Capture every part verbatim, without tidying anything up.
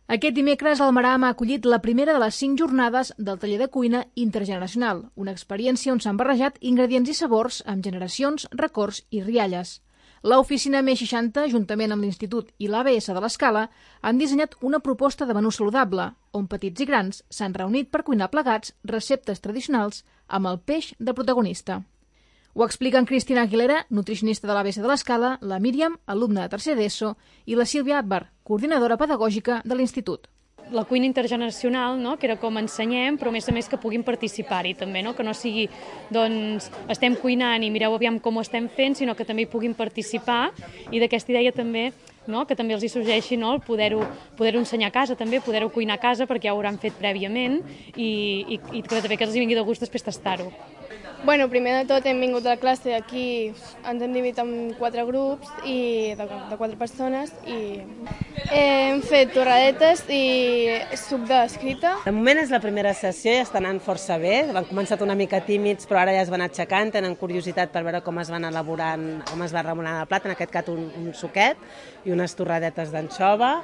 Aquest dimecres el Meram ha acollit la primera de les cinc jornades del taller de cuina intergeneracional, una experiència on s'han barrejat ingredients i sabors amb generacions, records i rialles. L'oficina M seixanta, juntament amb l'Institut i l'A B S de l'Escala, han dissenyat una proposta de menú saludable, on petits i grans s'han reunit per cuinar plegats receptes tradicionals amb el peix de protagonista. Ho expliquen Cristina Aguilera, nutricionista de l'A B S de l'Escala, la Míriam, alumna de tercer d'ESO, i la Sílvia Akbar, coordinadora pedagògica de l'Institut. La cuina intergeneracional, no? Que era com ensenyem, però a més a més que puguin participar-hi també, no? Que no sigui, doncs, estem cuinant i mireu aviam com ho estem fent, sinó que també hi puguin participar, i d'aquesta idea també, no? Que també els hi sorgeixi, no? El poder-ho poder-ho ensenyar a casa també, poder-ho cuinar a casa perquè ja ho hauran fet prèviament i, i, i que també que els hi vingui de gust després tastar-ho. Bueno, primer de tot hem vingut a la classe, aquí ens hem dividit en quatre grups i de, de quatre persones i hem fet torradetes i suc d'escrita. De moment és la primera sessió i estan anant força bé. Han començat una mica tímids, però ara ja es van aixecant, tenen curiositat per veure com es van elaborant, com es va remolant el plat, en aquest cas un, un suquet i unes torradetes d'anxova.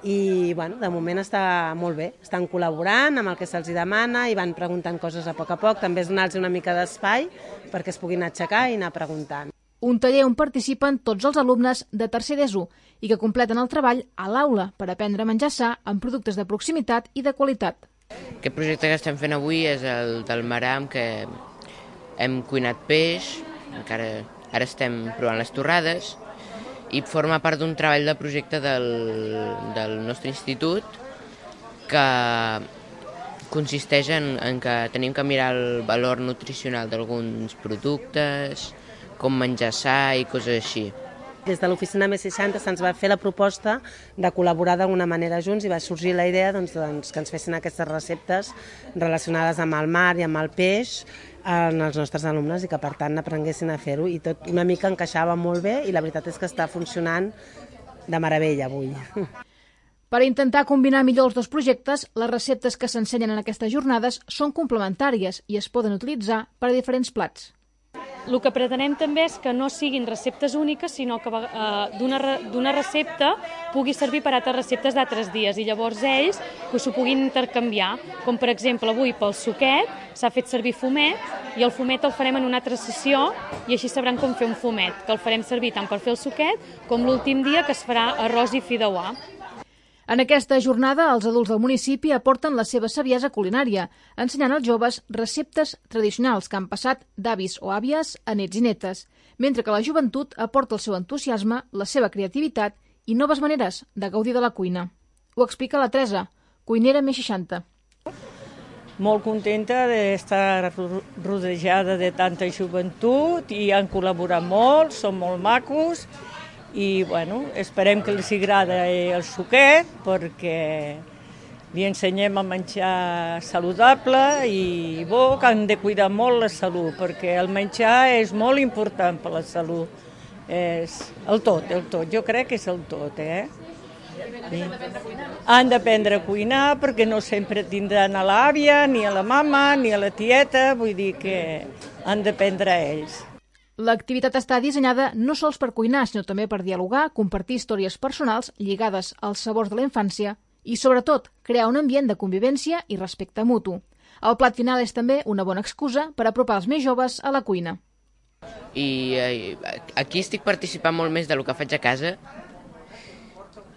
I bueno, de moment està molt bé, estan col·laborant amb el que se'ls demana i van preguntant coses a poc a poc, també és donar-los una mica d'espai perquè es puguin aixecar i anar preguntant. Un taller on participen tots els alumnes de tercer d'ESO i que completen el treball a l'aula per aprendre a menjar sa amb productes de proximitat i de qualitat. Aquest projecte que estem fent avui és el del Meram, que hem cuinat peix, encara ara estem provant les torrades, i forma part d'un treball de projecte del, del nostre institut que consisteix en, en que tenim que mirar el valor nutricional d'alguns productes, com menjar sa i coses així. Des de l'oficina M seixanta se'ns va fer la proposta de col·laborar d'alguna manera junts i va sorgir la idea doncs, doncs, que ens fessin aquestes receptes relacionades amb el mar i amb el peix en els nostres alumnes i que per tant aprenguessin a fer-ho i tot una mica encaixava molt bé i la veritat és que està funcionant de meravella avui. Per intentar combinar millor els dos projectes, les receptes que s'ensenyen en aquestes jornades són complementàries i es poden utilitzar per a diferents plats. El que pretenem també és que no siguin receptes úniques, sinó que eh, d'una recepta pugui servir per a altres receptes d'altres dies i llavors ells que s'ho puguin intercanviar. Com per exemple avui pel suquet s'ha fet servir fumet i el fumet el farem en una altra sessió i així sabran com fer un fumet, que el farem servir tant per fer el suquet com l'últim dia que es farà arròs i fideuà. En aquesta jornada, els adults del municipi aporten la seva saviesa culinària, ensenyant als joves receptes tradicionals que han passat d'avis o àvies a nets i netes, mentre que la joventut aporta el seu entusiasme, la seva creativitat i noves maneres de gaudir de la cuina. Ho explica la Teresa, cuinera M seixanta. Molt contenta d'estar rodejada de tanta joventut i han col·laborat molt, són molt macos. I bueno, esperem que els agrada el suquet perquè li ensenyem a menjar saludable i bo, que han de cuidar molt la salut perquè el menjar és molt important per la salut. És el tot, el tot, jo crec que és el tot, eh? Sí. Han d'aprendre a cuinar perquè no sempre tindran a l'àvia, ni a la mama, ni a la tieta, vull dir que han d'aprendre a ells. L'activitat està dissenyada no sols per cuinar, sinó també per dialogar, compartir històries personals lligades als sabors de la infància i, sobretot, crear un ambient de convivència i respecte mutu. El plat final és també una bona excusa per apropar els més joves a la cuina. I eh, aquí estic participant molt més del que faig a casa.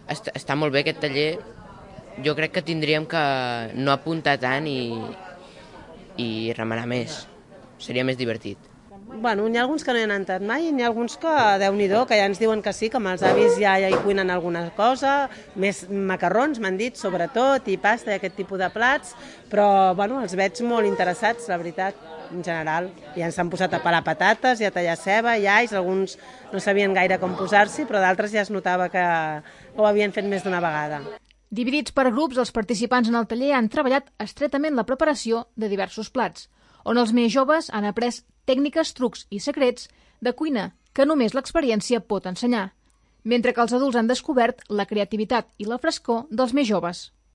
Està, està molt bé aquest taller. Jo crec que tindríem que no apuntar tant i, i remenar més. Seria més divertit. Bueno, n'hi ha alguns que no hi han entrat mai i n'hi ha alguns que, Déu-n'hi-do, que ja ens diuen que sí, que amb els avis ja, ja hi cuinen alguna cosa, més macarrons, m'han dit, sobretot, i pasta i aquest tipus de plats, però bueno, els veig molt interessats, la veritat, en general. Ja ens han posat a pelar patates i a tallar ceba i alls, alguns no sabien gaire com posar-s'hi, però d'altres ja es notava que ho havien fet més d'una vegada. Dividits per grups, els participants en el taller han treballat estretament la preparació de diversos plats, on els més joves han après tècniques, trucs i secrets de cuina que només l'experiència pot ensenyar, mentre que els adults han descobert la creativitat i la frescor dels més joves.